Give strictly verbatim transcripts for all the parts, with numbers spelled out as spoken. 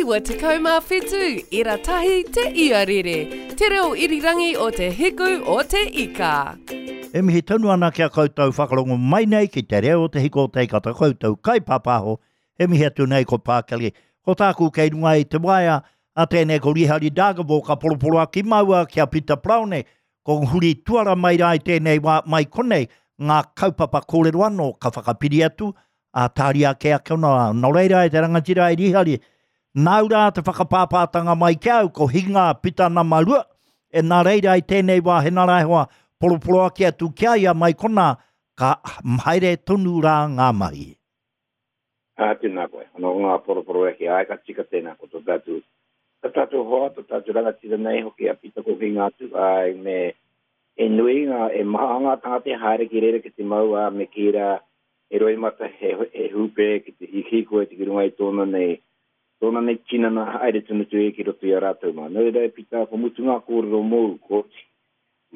Iwa tekau mā whitu, ira tahi te iarere, te reo irirangi o te hiku o te ika. E mihi tonu ana ki a koutou whakarongo mai nei ki te reo o te hiku o te ika ta koutou kaipapaho. E mihi atu nei ko Pākeli. Ko tāku kei runga i te waea, a tēnei ko Rihari Dargaville ka poroporoaki maua ki a Pita Browne. Ko huri tuara mai rā i tēnei wā mai konei, ngā kaupapa kōrero anō ka whakapiri atu, a tāri ake ake ona. Nō reira e te rangatira e Rihari, nāu rā te whakapāpātanga mai ki au, ko Hinga Pita nama rua, e nā reira i tēnei wā he nā hoa poroporoaki atu ki a ia mai kona, ka haere tonu rā ngā mahi. Ā, tēnā koe. Ano ngā poroporoaki, ai ka tika tēnā, ko tō tātou, tō tātou hoa, tō tātou rangatira nei hoki a Pita ko Hinga atu, ai me e nui ngā, e maha ngā tangata e haere ki reira ki te mau, ā, me ki rā, e roimata he, he hūpē ki te hihiko e te ki runga i tōna nei, tōna nei tinana haere tonu tu e ki roto i a rātou mā. Nō reira e Pita, ko mutu ngā kōrero mōu, kōti,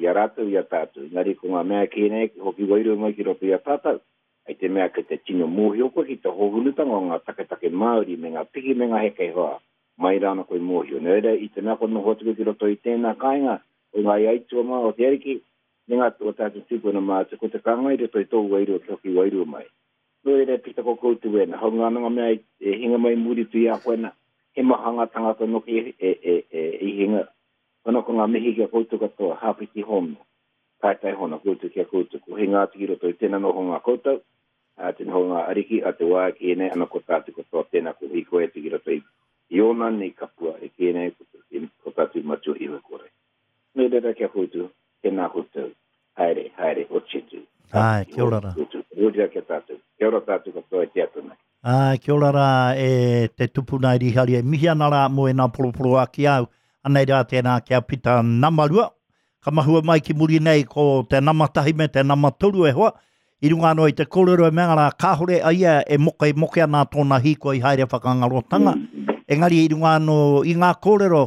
i a rātou, i a tātou. Engari ko ngā mea kē nei, hoki wairua mai ki roto i a tātou. Ai te mea ki te tino mōhio koe ki te hōhunutanga o ngā taketake Māori me ngā piki me ngā heke hoa, mai rāna koe mōhio. Nō reira, i te mea ko noho atu koe ki roto i tēnā kāinga, o ngā aitua mā o te ariki, me ngā o tātou tūpuna mātua, ko te kānga i roto i tō wairua ki hoki wairua mai. Nō reira, Pita ko koutou ēnā, hau ngā nanga mea e hinga mai muri tu i a koe nā, he maha ngā tangata noki e, e, e, e, i hinga. Kono ko ngā mihi ki a koutou katoa, hāpiti hono, taetai hono, koutou ki a koutou, ko hinga atu ki roto i tēnā noho ngā koutou, a te noho ngā ariki, a te wā ki ēnei, ana ko tātou katoa tēnā ko hiko e te ki roto i, i ōna nei kapua e ki ēnei, ko, ko tātou matua iho kore. Nō reira ki a koutou, tēnā koutou, haere, haere, o titu. Ai, kia ora rā. Ora kia tātou. Kia ora tātou katoa e te atu nei. Ai, kia ora rā e te tupuna i Rihari. E mihi ana rā mō e nā poroporoaki au. Anei rā tēnā kia Pita nama rua. Ka mahua mai ki muri nei ko te nama tahi me te nama toru e hoa. I runga anō i te kōrero e mea rā, kāhore a ia e moke, moke ana tōna hīkoi haere whakangarotanga. Engari i runga anō i ngā kōrero,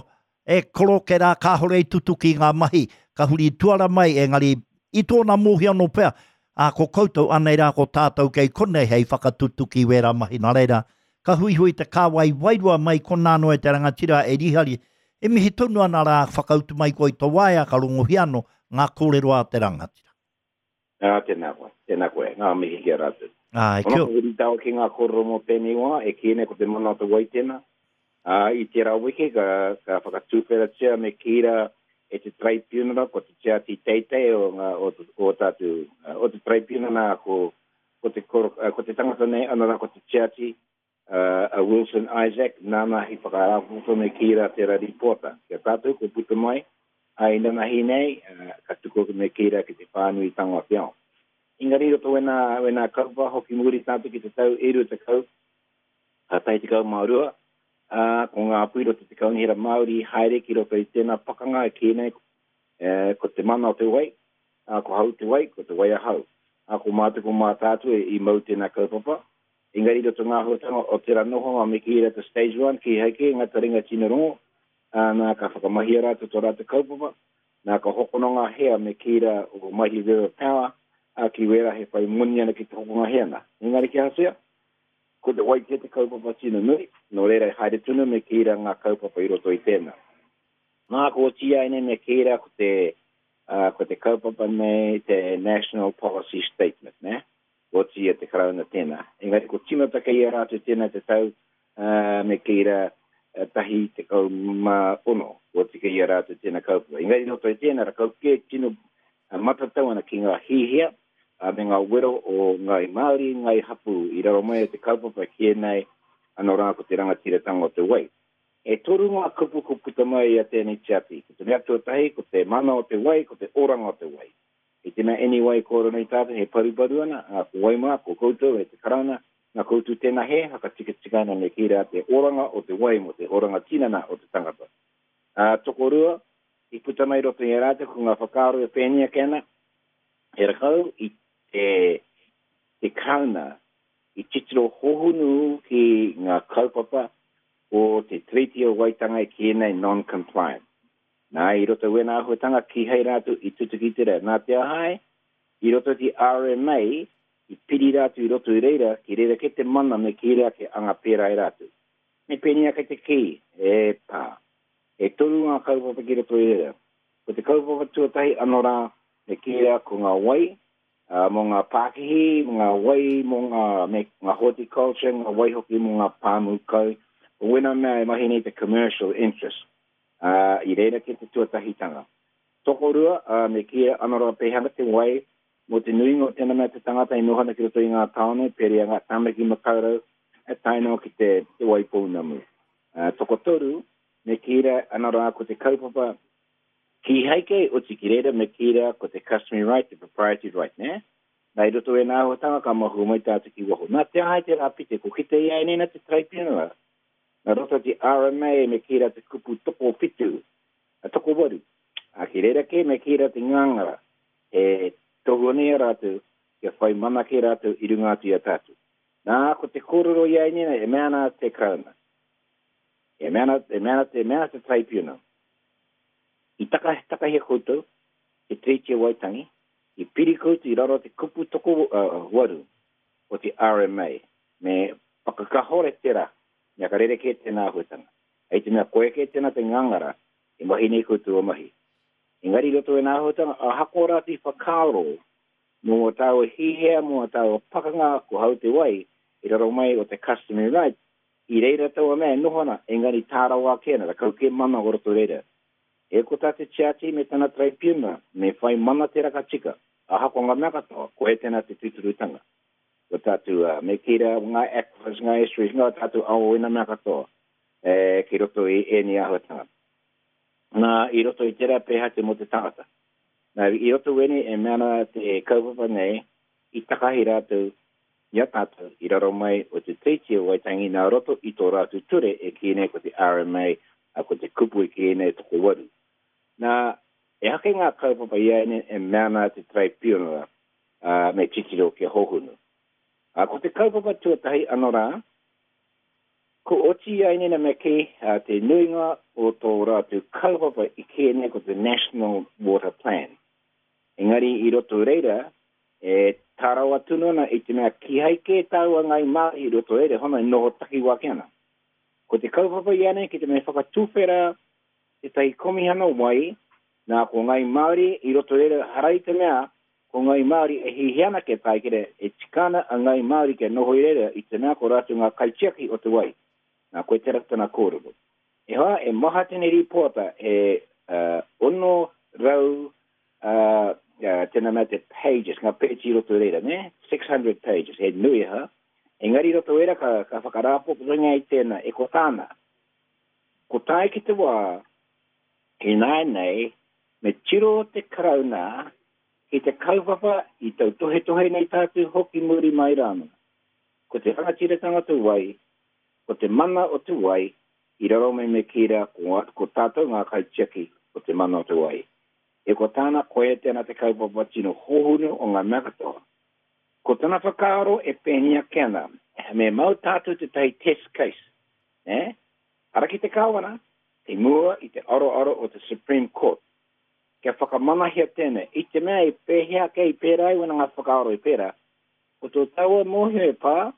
e koroke rā kāhore i tutuki ngā mahi, ka huri tuara mai, engari i tōna mōhio anō pea, a ko koutou anei rā ko tātou kei konei hei whakatutuki wērā mahi. Nā reira, ka huihui te kāwai wairua mai konā anō e te rangatira e Rihari, e mihi tonu ana rā whakautu mai koe i tō waea ka rongohia anō ngā kōrero a te rangatira. Ā, tēnā koe, tēnā koe, ngā mihi ki a rātou. Ai, Ono kia ko huri tāua ki ngā kōrero mō tēnei wā, e kī nei ko te mana o te wai tēnā. Ā, i tērā wiki ka, ka whakatūwheratia me kī rā e te tribunal, ko te tiati teitei o ngā, o, o tātou, o te tribunal ko, ko te koro, ko te tangata nei, ana rā ko te tiati, uh, a Wilson Isaac, nāna hi whakarāpopoto me kī rā tērā rīpōta. Kia tātou ko puta mai, ai nanahi nei, uh, ka tuku me kī rā ki te whānuitanga o te ao. Engari roto wena, wena kaupapa hoki muri tātou ki te tau e rua tekau, a tai tekau mā rua, ā, ko ngā pui roto te kaunihera Māori haere ki roto i tēnā pakanga e kī nei, e, ko te mana o te wai, ā, ko hau te wai, ko te wai ahau. Ā, ko mātou ko mātātua i mau tēnā kaupapa. Engari roto ngā huatanga o tērā nohonga me kī rā te stage one, ki hei kē ngā taringa tino rongo, ā, nā ka whakamahia rātou tō rātou kaupapa, nā ka hokona ngā hea me kī rā o Mighty River Power, ā, ki wērā he whai moni ana ki te hokonga hea nā. Engari ki ahatia, ko te wai kē te kaupapa tino nui, nō reira e haere tonu me kī rā ngā kaupapa i roto i tēnā. Nā ko oti ai nei me kī rā ko te, uh, ko te kaupapa nei te National Policy Statement, ne? Ko oti e te Karauna tēnā. Engari ko tīmata kei a rātou tēnā te tau, uh, me kī rā tahi tekau mā ono, ko oti kei a rātou tēnā kaupapa. Engari roto i tēnā, rakau kē tino matatau ana ki ngā hihia, a me ngā wero o Ngāi Māori, Ngāi Hapū, i raro mai o te kaupapa ki ēnei, anō rā ko te rangatiratanga o te wai. E toru ngā kupu ko puta mai i a tēnei tiati. Ko te mea tuatahi, ko te mana o te wai, ko te oranga o te wai. I te mea anyway kōrero nei tātou, he paruparu ana, ā, ko wai mā, ko koutou e te Karauna, nā koutou tēnā he, whakatikatika ana me kī rā te oranga o te wai mō te oranga tinana o te tangata. Ā, tokorua, i puta mai roto i a rātou ko ngā whakaaro e pēnei ake ana, he rakau i te, te Karauna i titiro hohunu ki ngā kaupapa o te Treaty o Waitangi ki ēnei non-compliant. Nā, i roto wēnā āhuatanga kīhai rātou i tutuki te rā. Nā te ahai, i roto ki R M A, i piri rātou i roto i reira, ki reira ke te mana me kī rā ke anga pērā i rātou. Me pēnei ake te kī, e pā. E toru ngā kaupapa ki roto i reira. Ko te kaupapa tuatahi anō rā, me kī rā ko ngā wai, uh, mō ngā pākihi, mō ngā wai, mō ngā, me, ngā horticulture, ngā wai hoki mō ngā pāmu kau. Ko wena mea e mahi nei te commercial interest. Uh, i reira ki te tuatahitanga. Tokorua, uh, me kī rā anō rā pēhanga te wai, mō te nuinga o tēnā mea te tangata e noho ana ki roto i ngā tāone, pērā ngā Tāmaki Makaurau, e tae noa ki te, te Waipounamu. Uh, tokotoru, me kī rā anō rā ko te kaupapa kīhai kei oti ki reira, me kī rā ko te customary right, te proprietary right, nē? Nā i roto i ngā āhuatanga ka mahu mai tātou ki waho. Nā te aha i te rā pite, ko kite i a nena te tribunal. Nā roto te R M A me kī rā te kupu tokowhitu, a tokowaru. A ki reira kē me kī rā te ngāngara, e tohu ana i a rātou, kia whai mana kē rātou i runga atu i a tātou. Nā, ko te kōrero i a nena, e mea ana te Karauna. E mea ana, e mea ana, e mea ana te tribunal. I taka, takahia koutou, te Tiriti o Waitangi, i piri koutou i raro te kupu toko uh, waru o te R M A. Me whakakahore tērā, mea ka rerekē tēnā āhuatanga. Hei te mea koe kē tēnā te ngāngara, e mahi nei koutou o mahi. Engari roto i ngā āhuatanga, ahakoa rā te whakaaro mō o tāua hihea, mō o tāua pakanga, ko hau te wai, i raro mai o te customary right, i reira taua mea e noho ana, engari tārawa ake ana, rakau kē mana o roto reira. E ko tā te tiati me tana tribunal, me whai mana te raka tika, ahakoa ngā mea katoa, ko e tēnā te tūturutanga. Ko tātou, uh, me kī rā, ngā aquifers, ngā estuaries, ngā tātou ao ina mea katoa, e, ki roto i ēnei āhuatanga. Nā, i roto i tērā pēhā te mō te tangata. Nā, i roto wene e mea ana te kaupapa nei, i takahi rātou, i a tātou, i raro mai o te Tiriti o Waitangi, nā roto i tō rātou ture e kī nei ko te R M A, a ko te kupu e kī nei tokowaru. Nā, e hake ngā kaupapa i aine e mea ana te tribunal, uh, me titiro kia hohunu. A, ko te kaupapa tuatahi anō rā, ko oti i aine na me kī, uh, te nuinga o tō rātou kaupapa i kī nei ko te National Water Plan. Engari i roto reira, e tārawa tunu ana i te mea kīhai kē tāua ngai Māori i roto reira, hona i noho takiwā ki ana. Ko te kaupapa i ane ki te mea whakatūwhera tētahi komihana wai, nā ko ngai Māori i roto reira harai te mea, ko ngai Māori e hihi ana ke tae kere, e tikana a ngai Māori kia noho i reira i te mea ko rātou ngā kaitiaki o te wai. Nā koe te ratana kōrero. E hoa, e maha tēnei rīpoata e uh, ono rau uh, uh, tēnā mea te pages, ngā pēti i roto reira, ne? six hundred pages, he nui ha. Engari i roto reira ka, ka whakarāpopotonga i tēnā, e ko tāna. Ko tae ki te wā, ināianei, me tiro te Karauna ki te kaupapa i tautohetohe nei tātou hoki muri mai rānō. Ko te rangatiratanga te wai, ko te mana o te wai, i raro mai me kī rā, ko, ko tātou ngā kaitiaki o te mana o te wai. E ko tāna koe tēnā te kaupapa tino hohunu o ngā mea katoa. Ko tana whakaaro e pēnei ake ana, me mau tātou tētahi test case, eh? Ara ki te kāwana, i mua i te aroaro o te Supreme Court. Kia whakamanahia tēnei, i te mea i pēhea ake i pērā i wena ngā whakaaro i pērā, ko tō taua mōhio e pā,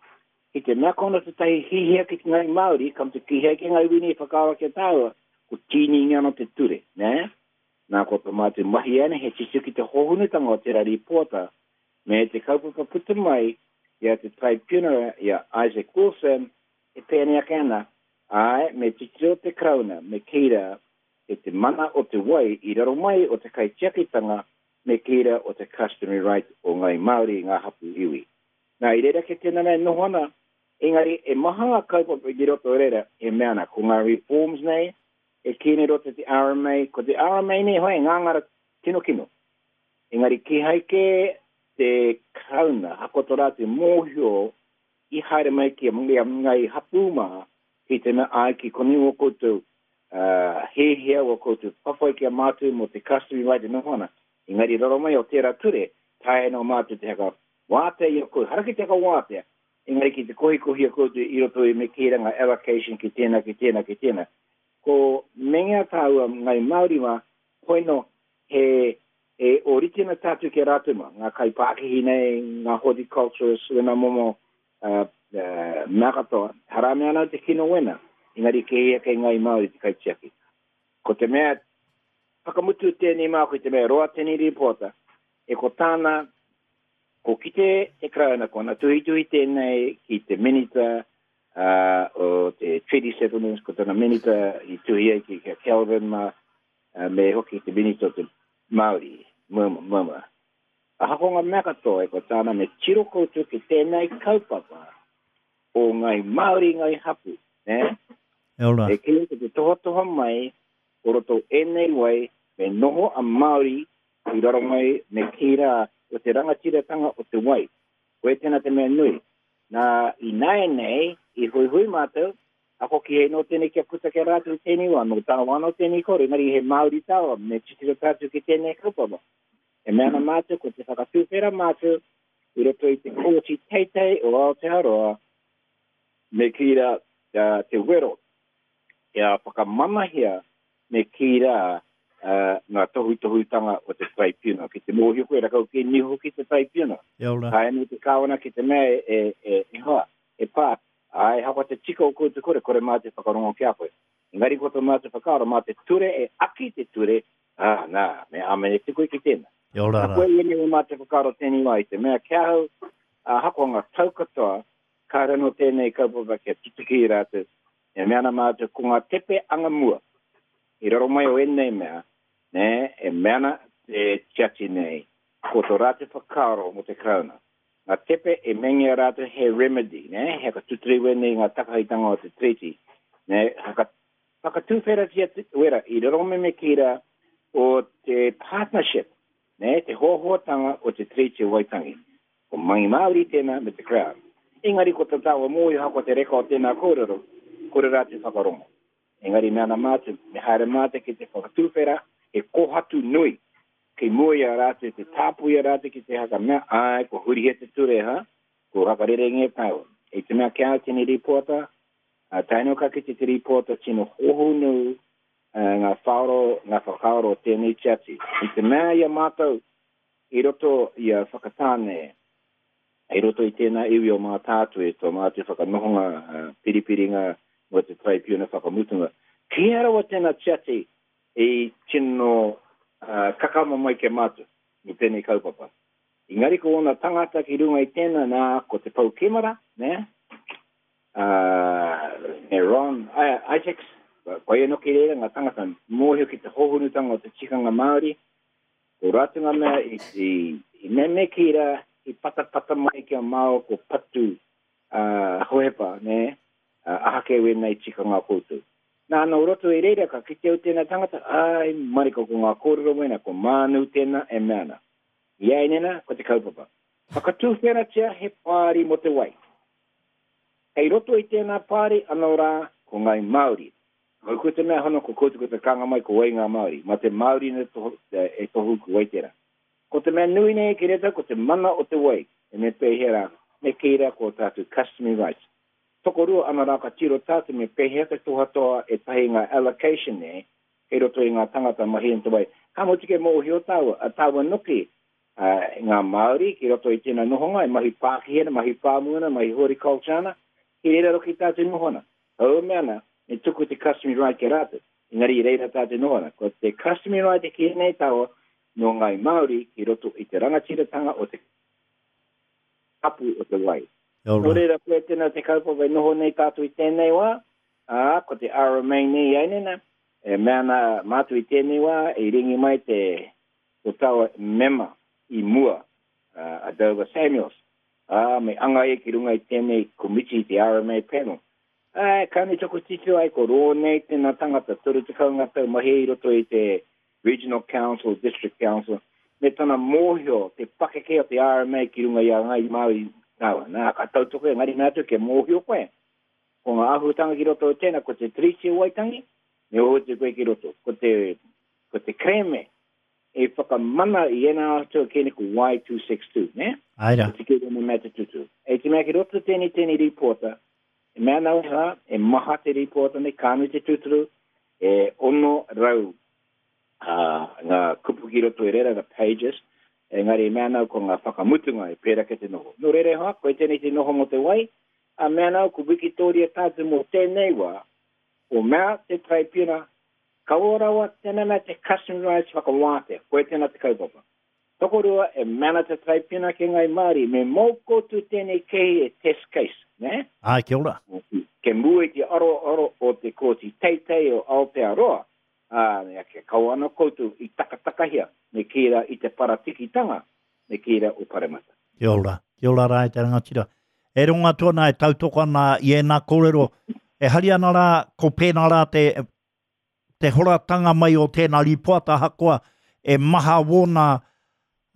ki te mea kona tētahi hihia ki te ngai Māori, kam te kihia ki ngai wini i whakaaro kia tāua, ko tīningi ana te ture, nē? Nā ko tō mātou mahi ane, he titiro ki te hohunutanga o te rari pōta, me te kaupapa puta mai i a te tribunal i a Isaac Wilson, e pēnei ake ana, ai, me titiro te Karauna, me kī rā, e te mana o te wai i raro mai o te kaitiakitanga, me kī rā o te customary right o ngai Māori i ngā hapu iwi. Nā, i reira ke tēnā nei noho ana, engari e maha ngā kaupapa i roto reira e mea ana, ko ngā reforms nei, e kī nei roto te R M A, ko te R M A nei hoi, ngāngara tino kino. Engari kīhai kē te Karauna, hakoto rā te mōhio i haere mai ki a ngai hapū mā, ki te mea ai ki koni o koutou, uh, hehea o koutou whawhai ki a mātou mō te customary right e noho ana. Engari raro mai o tērā ture, tae no mātou te haka wātea i a koutou, hara ki te haka wātea, engari ki te kohikohi a koutou i roto i me kīranga allocation ki tēnā, ki tēnā, ki tēnā. Ko mengea tāua ngai Māori mā, hoino he, e orite ana tātou ki a rātou mā, ngā kaipākihi nei, ngā horticulturists, wena momo uh, uh, mea katoa, harame ana te kino wena. Engari ke hia kei Ngai Māori te kaitiaki. Ko te mea, whakamutu tēnei māku i te mea roa tēnei rīpota, e ko tāna, ko kite te Karauna, ko ana tuhituhi tēnei ki te minita uh, o te Treaty Settlements, ko tana minita i tuhi ai ki, ki a Kelvin ma, uh, me hoki te minita o te Māori, murmur, murmur. Ahakoa ngā mea katoa e ko tāna me tiro koutou ki tēnei kaupapa o Ngai Māori, Ngai Hapu, ne? E ora. E kī ki te tohatoha mai o roto ēnei wai me noho a Māori i raro mai me kī rā o te rangatiratanga o te wai. Koe tēnā te mea nui. Nā, i nāianei, i huihui mātou, ako ki he nō tēnei kia puta kia rātou i tēnei wā, nō tāua anō tēnei kore, engari he Māori tāua, me titiro tātou ki tēnei kaupapa. E mea ana mātou, ko te whakatūwhera mātou, i roto i te kōti teitei o Aotearoa, me kī rā uh, te wero, kia whakamanahia me kī rā uh, ngā tohutohutanga o te tribunal. Ki te mōhio koe, rakau ki niho ki te tribunal. E ora. Hae anō te kāwana ki te mea e, e, e, e hoa, e pā, ai hawa te tika o koutou kore, kore mā te whakarongo ki a koe. Engari ko tō mātou whakaaro, mā te ture e aki te ture, ah, nā, me āmene te koe ki tēnā. E ora Nā rā. koe ēnei o mātou whakaaro tēnei wā i te mea kia hau, ahakoa ngā tau katoa, kāre anō tēnei kaupapa kia tutuki i rātou. E mea ana mātou ko ngā tepe anga mua, i raro mai o ēnei mea, ne, e mea ana te tiati nei, ko tō rātou whakaaro mō te Karauna. Ngā tepe e mengia rātou he remedy, ne, he whakatuturi wēnei ngā takahitanga o te treaty, ne, haka, whakatūwheratia te wera i raro me me kī rā o te partnership, ne, te hoahoatanga o te Treaty o Waitangi. Ko Mangi Māori tēnā me te Crown. Engari ko te tāua mōhio hako te reka o tēnā kōrero, kore rātou whakarongo. Engari mea ana mātou, me haere mātou ki te whakatūwhera, he kohatu nui, ki mua i a rātou, te tāpui a rātou ki te haka mea, ai, ko hurihia te ture, ha? Ko hakarere tāua. E te mea kia au tēnei rīpota, uh, tae noa ka kite te rīpota tino hohonu uh, ngā whaoro, ngā whakaaro o tēnei tiati. I te mea i a mātou, i roto i a Whakatāne, i roto i tēnā iwi o Mātātue, tō mātou whakanohonga, uh, piripiringa mō te tribunal whakamutunga. Kia rawa tēnā tiati i tino uh, kakama mai ke mātou i tēnei kaupapa. Engari ko ōna tangata ki runga i tēnā nā ko te Pou Kemara, ne? Uh, me Ron Isaacs, koia noki reira ngā tangata mōhio ki te hohonutanga o te tikanga Māori, ko rātou ngā mea i, i, i meme ki rā, i patapata mai ki a māua ko patu uh, hohepa, ne? Uh, ahake wēnei tikanga koutou. Nā, nō roto i reira, ka kite au tēnā tangata, ai, marika ko ngā kōrero wēnā, ko mānu tēnā e mea ana. I ai nena, ko te kaupapa. Whakatūwheratia he pāri mō te wai. Hei roto i tēnā pāri, anō rā, ko Ngai Māori. Ko ko te mea hono, ko koutou ko te kanga mai, ko wai ngā Māori. Mā te Māori ne tohu, e tohu ko wai tērā. Ko te mea nui nei ki reta, ko te mana o te wai. E me pēhea rā, me kī rā ko tātou customary rights. Tokorua ana rā ka tiro tātou me pēhea te tohatoha e tahi ngā allocation nei, kei roto i ngā tangata mahi i te wai. Ka motu ke mōhio tāua, a tāua noki, uh, ngā Māori ki roto i tēnā nohonga, e mahi pākihi ana, mahi pāmu ana, mahi horticulture ana, ki reira roki tātou noho ana. Aua mea ana, me tuku te customary right ki rātou. Engari i reira tātou noho ana. Ko te customary right e ki nei tāua, nō Ngai Māori ki roto i te rangatiratanga o te kapu o te wai. E ora. Nō reira, koe tēnā te kaupapa e noho nei tātou i tēnei wā, ā, ko te R M A nei ai nena, e mea ana mātou i tēnei wā, e ringi mai te ko taua mema i mua, uh, a Dover Samuels, ā, me anga e ki runga i tēnei komiti te R M A panel. Ā, ka nui taku titiro ai ko rō nei tēnā tangata, toru tekau ngā tau mahi i roto i te Regional Council, District Council, me tana mōhio te pakeke o te R M A ki runga i a Ngai Māori tāua. Nā, ka tautoko engari mea atu kia mōhio koe. Ko ngā āhuatanga ki roto o tēnā, ko te Treaty o Waitangi, me oho te koe ki roto. Ko te, ko te kreme e whakamana i ēnā ātua kēne ko Y two six two, ne? Ai rā. Ko te kēne mea te tutu. E te mea ki roto tēnei tēnei rīpota, e mea nau rā, e maha te rīpota nei, kānu te tuturu, e ono rau, uh, ngā kupu ki roto i reira, the pages, engari e mea nau ko ngā whakamutunga e pērā ke te noho. Nō reira hoa, koe tēnei te noho mō te wai, a mea nau ko Wikitoria tātou mō tēnei wā, O mea te traipiuna, kaua rawa tēnā mea te customary rights whakawātea, koe tēnā te kaupapa. Tokorua e mana te traipiuna ki ngai Māori, me mō koutou tēnei kehi e test case, ne? Ai, kia ora. Ke mua i te aro aro o te kōti teitei o Aotearoa, ā, mea kia kaua ana koutou i takatakahia, me kī rā i te paratikitanga, me kī rā o Paremata. Kia ora, kia ora rā e te rangatira. E rongo atu ana, e tautoko ana i ēnā kōrero, e hari ana rā, ko pēnā rā te, te horatanga mai o tēnā rīpoata ahakoa e maha wōna,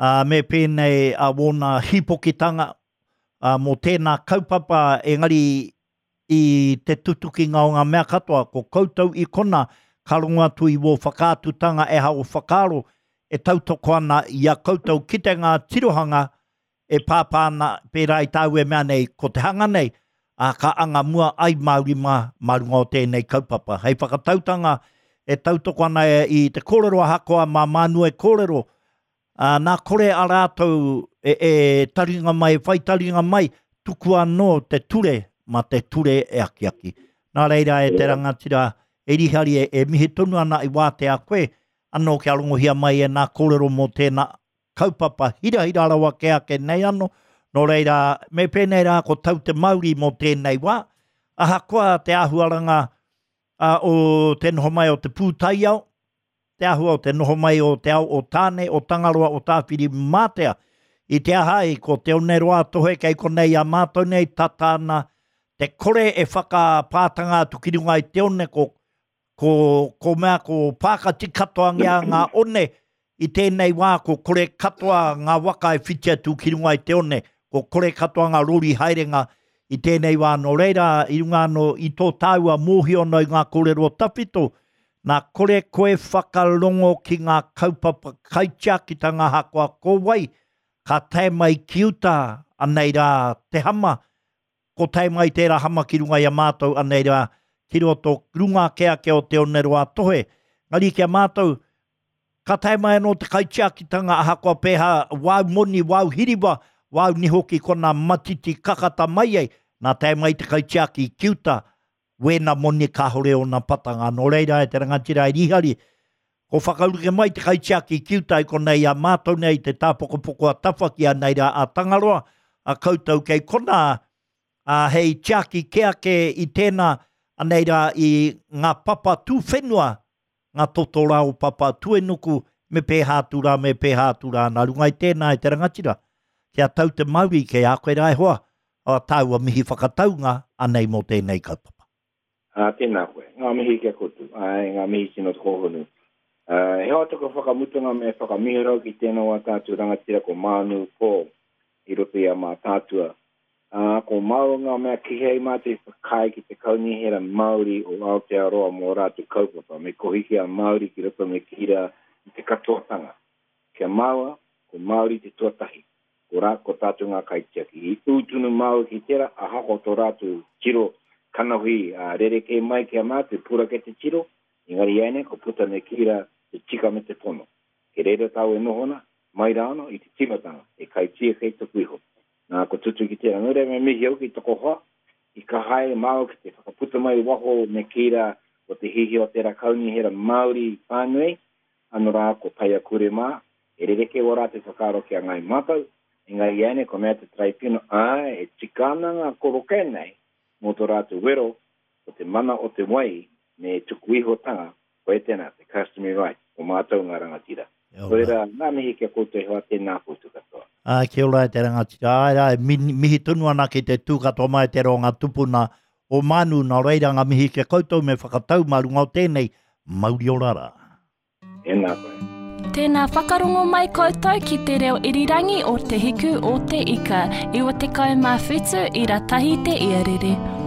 ā, me pēnei a wōna hīpokitanga, ā, mō tēnā kaupapa, engari i te tutukinga o ngā mea katoa, ko koutou i kona, ka rongo atu i wō whakaatutanga e ha o whakaaro e tautoko ana i a koutou ki te ngā tirohanga e pāpā ana pērā i tāu e mea nei, ko te hanga nei, ā, ka anga mua ai Māori mā, mā runga o tēnei kaupapa. Hei whakatautanga e tautoko ana i te kōrero ahakoa mā Mānu e kōrero, ā, nā kore a rātou e, e taringa mai, e whai taringa mai, tukua anō te ture, mā te ture e akiaki. Nā reira e te rangatira, e Rihari e, e mihi tonu ana i wātea koe, anō kia rongohia mai e nā kōrero mō tēnā kaupapa hirahira rawa ke ake nei anō. Nō reira, me pēnei rā ko tau te mauri mō tēnei wā, ahakoa te āhuaranga uh, o te noho mai o te pūtaiao, te āhua o te noho mai o te ao o Tāne, o Tangaroa, o Tāwhiri Mātea, i te aha ai, ko te oneroa tohe kei konei a mātou nei tata ana, te kore e whakapātanga atu ki runga i te one, ko, ko, ko mea ko pākati katoangia ngā one, i tēnei wā ko kore katoa ngā waka e whiti atu ki runga i te one, ko kore katoa ngā rori haerenga i tēnei wā. Nō reira, i runga anō i tō tāua mōhio anō i ngā kōrero tawhito, nā kore koe whakarongo ki ngā kaupapa kaitiakitanga ahakoa ko wai, ka tae mai ki uta, anei rā te hama, ko tae mai tērā hama ki runga i a mātou, anei rā ki roto runga ake ake o te oneroa tohe. Ngari ki a mātou, ka tae mai anō te kaitiakitanga ahakoa pēhā wāu moni, wāu hiriwa, wāu niho ki kona matiti kakata mai ai, nā tae mai te kaitiaki ki uta, wēna moni kāhore ona patanga. Nō reira e te rangatira e Rihari, ko whakauruke mai te kaitiaki ki uta i konei a mātou nei te tāpokopoko a Tawhaki a nei rā a Tangaroa, a koutou kei kona, a hei tiaki ke ake i tēnā, anei rā i ngā papa tūwhenua, ngā totorā o papa tuenuku, me pēhā atu rā, me pēhā atu rā. Nā runga i tēnā e te rangatira, kia tau te mauri, kei a koe rā e hoa, a tāua mihi whakataunga, anei mō tēnei kaupapa. Ā, tēnā koe, ngā mihi kia koutou, ai, ngā mihi tino te kōhonu. Uh, he hoa toko whakamutunga me whakamihirau ki tēnā wā tātou rangatira ko Mānu Paul i roto i a Mātātua. Uh, ko māua ngā mea kihei mātou i whakaae ki te kaunihera Māori o Aotearoa mō rātou kaupapa, me kohiki a Māori ki roto me kira i te katoatanga. Kia māua, ko Māori te tuatahi, ko rā, ko tātou ngā kaitiaki. I ūtunu māua ki tērā, ahakoa tō rātou tiro kanohi uh, rerekē mai ki a mātou, pura ke te tiro, engari ēnei ko puta me kira te tika me te pono. Ke reira tāu e nohona, mai rāno i te timatanga, e kaitia kei tuku iho. Nā, ko tutu ki tērā. Nō reira me mihi au ki toko hoa, i ka haere māua ki te whakaputa mai waho me kīra o te hihi o tērā kaunihera Māori whānui, anō rā ko Paia Kure mā, e rereke o rā te whakaaro ki a ngai mātou, engari ēnei ko mea te traipiuna, āe, e tika ana ngā koroke nei, mō tō rātou wero, ko te mana o te wai, me tuku ihotanga, koe tēnā, te customary right, o mātou ngā rangatira. Nō reira, ngā mihi kia koutou e hoa, tēnā koutou katoa. Ā, kia ora e te rangatira. Āe rā, e mihi tonu ana ki te tū katoa mai te roa ngā tupuna o Mānu. Nā reira, ngā mihi kia koutou me whakatau mā runga o tēnei, mauri ora rā. Tēnā koe. Tēnā whakarongo mai koutou ki te reo irirangi o Te Hiku o Te Ika, iwa tekau mā whitu ira tahi te iarere.